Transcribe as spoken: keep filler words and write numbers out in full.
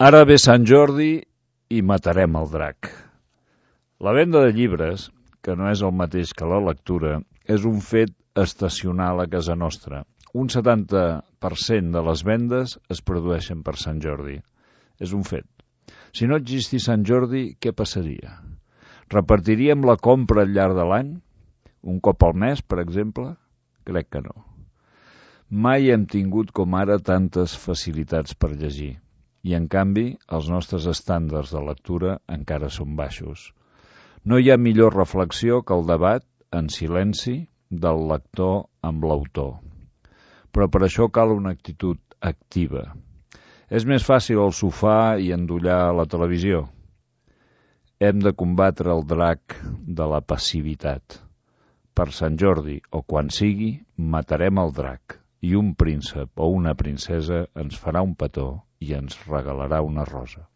Ara ve Sant Jordi i matarem el drac. La venda de llibres, que no és el mateix que la lectura, és un fet estacional a casa nostra. Un setanta per cent de les vendes es produeixen per Sant Jordi. És un fet. Si no existís Sant Jordi, què passaria? Repartiríem la compra al llarg de l'any? Un cop al mes, per exemple? Crec que no. Mai hem tingut com ara tantes facilitats per llegir. I, en canvi, els nostres estàndards de lectura encara són baixos. No hi ha millor reflexió que el debat, en silenci, del lector amb l'autor. Però per això cal una actitud activa. És més fàcil al sofà i endollar la televisió. Hem de combatre el drac de la passivitat. Per Sant Jordi, o quan sigui, matarem el drac i un príncep o una princesa ens farà un petó i ens regalarà una rosa.